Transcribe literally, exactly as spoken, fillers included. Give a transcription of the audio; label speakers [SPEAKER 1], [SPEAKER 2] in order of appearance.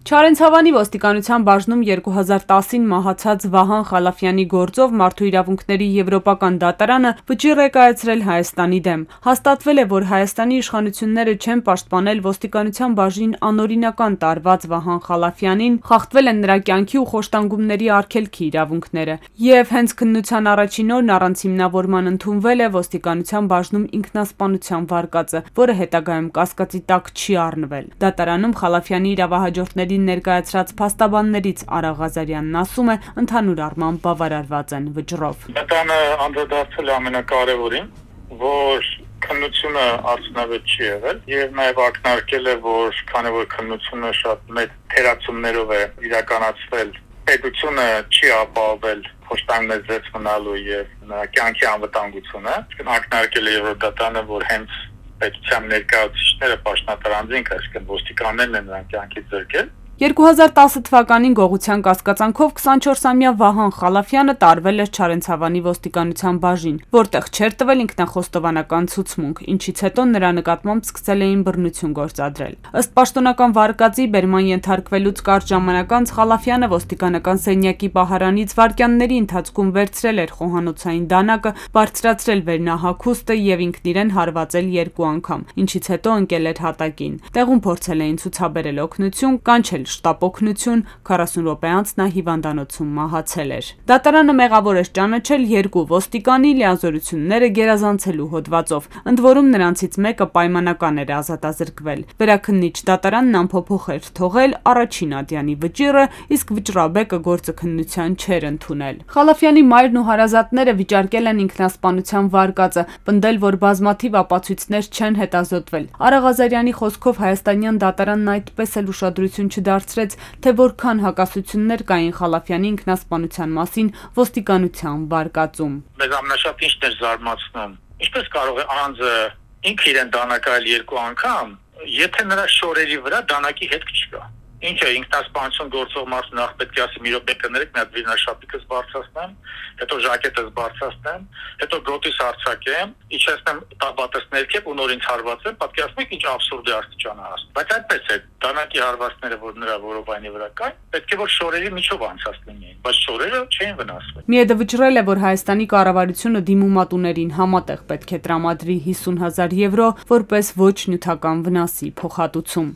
[SPEAKER 1] Չարենցավանի ոստիկանության բաժնում երկու հազար տասին մահացած Վահան Խալաֆյանի գործով Մարդու իրավունքների եվրոպական դատարանը վճիռ է կայացրել Հայաստանի դեմ։ Հաստատվել է, որ Հայաստանի իշխանությունները չեն պաշտպանել ոստիկանության բաժնին անօրինական տարված Վահան Խալաֆյանին, խախտվել են նրա կյանքի ու խոշտանգումների արգելքի իրավունքները։ Եվ հենց քննության առաջին օրն առանց հիմնավորման ընդունվել է ոստիկանության բաժնում ինքնասպանության վարկածը, որը հետագայում կասկածի տակ չի առնվել։ Դատարանում Խալաֆյանի իրավահաջորդների ներկայացրած փաստաբաններից Արա Ղազարյանն ասում է, ընդհանուր առմամբ բավարարված են վճռով։
[SPEAKER 2] Դատարանը անդրադարձել է ամենակարևորին, որ քննությունը արդյունավետ չի եղել եւ նաեւ ակնարկել է, որ քանի որ քննությունը շատ մեծ թերացումներով է իրականացվել, պետությունը չի ապահովել խոշտանգներ զերծ մնալու եւ նրա կյանքի անվտանգությունը, ակնարկել է Եվրոդատարանը, որ հենց պետության ներկայացուցիչները պաշտոնատարանձինք, այսինքն ոստիկաններն են նրան կյանքից զրկել։
[SPEAKER 1] երկու հազար տասը թվականին գողության կասկածանքով քսանչորսամյա Վահան Խալաֆյանը տարվել էր Չարենցավանի ոստիկանության բաժին, որտեղ չէր տվել ինքնախոստովանական ցուցմունք, ինչից հետո նրա նկատմամբ սկսել էին բռնություն գործադրել։ Ըստ պաշտոնական վարկածի բերման ենթարկվելուց կարճ ժամանակ անց Խալաֆյանը ոստիկանական սենյակի պահարանից վայրկյանների ընթացքում վերցրել էր խոհանոցային դանակը, բարձրացրել վերնահագուստը եւ ինքն իրեն հարվածել երկու անգամ, ինչից հետո ընկել էր հատակին։ Տեղում փորձել էին ցուցաբերել օգնություն, կանչել շտապ օգնություն, քառասուն րոպե անց նա հիվանդանոցում մահացել էր։ Դատարանը մեղավոր էր ճանաչել երկու ոստիկանի լիազորությունները գերազանցելու հոդվածով, ընդ որում նրանցից մեկը պայմանական էր ազատազրկվել։ Վերաքննիչ դատարանն անփոփոխ էր թողել առաջին ատյանի վճիռը, իսկ վճռաբեկը գործը քննության չէր ընդունել։ Խալաֆյանի մայրն ու հարազատները վիճարկել են ինքնասպանության վարկածը, պնդել, որ բազմաթիվ ապացույցներ չեն հետազոտվել։ Արա Ղազարյանի խոսքով հայաստանյան դատարանն այդպես էլ ուշադրություն չդարձրեց, թե որքան հակասություններ կային Խալաֆյանի ինքնասպանության մասին ոստիկանության վարկածում։
[SPEAKER 2] Մեզ ամենաշատ ինչն էր զարմացնում, ինչպես կարող է անձը ինքը իրեն դանակայել երկու անգամ, եթե նրա շորերի վրա դանակի հետք չկա։ Ինչ է ինքնասպանություն գործող մարդը նախ պետք է ասի մի րոպե կներեք, մի հատ վիրնաշապիկս բարձրացնեմ, հետո ժակետս բարձրացնեմ, հետո գոտիս արձակեմ, իջեցնեմ տաբատս ներքև ու նոր ինձ հարվածեմ, պատկերացնեք ինչ աբսուրդի աստիճան է հասնում։ Բայց այդպես է, դանակի հարվածները, որ նրա որովայնի վրա կային, պետք է որ շորերի միջով անցած լինեին, բայց շորերը չէին վնասվել։
[SPEAKER 1] Միեդը վճռել է, որ Հայաստանի կառավարությունը դիմումատուներին համատեղ պետք է տրամադրի հիսուն հազար եվրո որպես ոչ նյութական վնասի փոխհատուցում։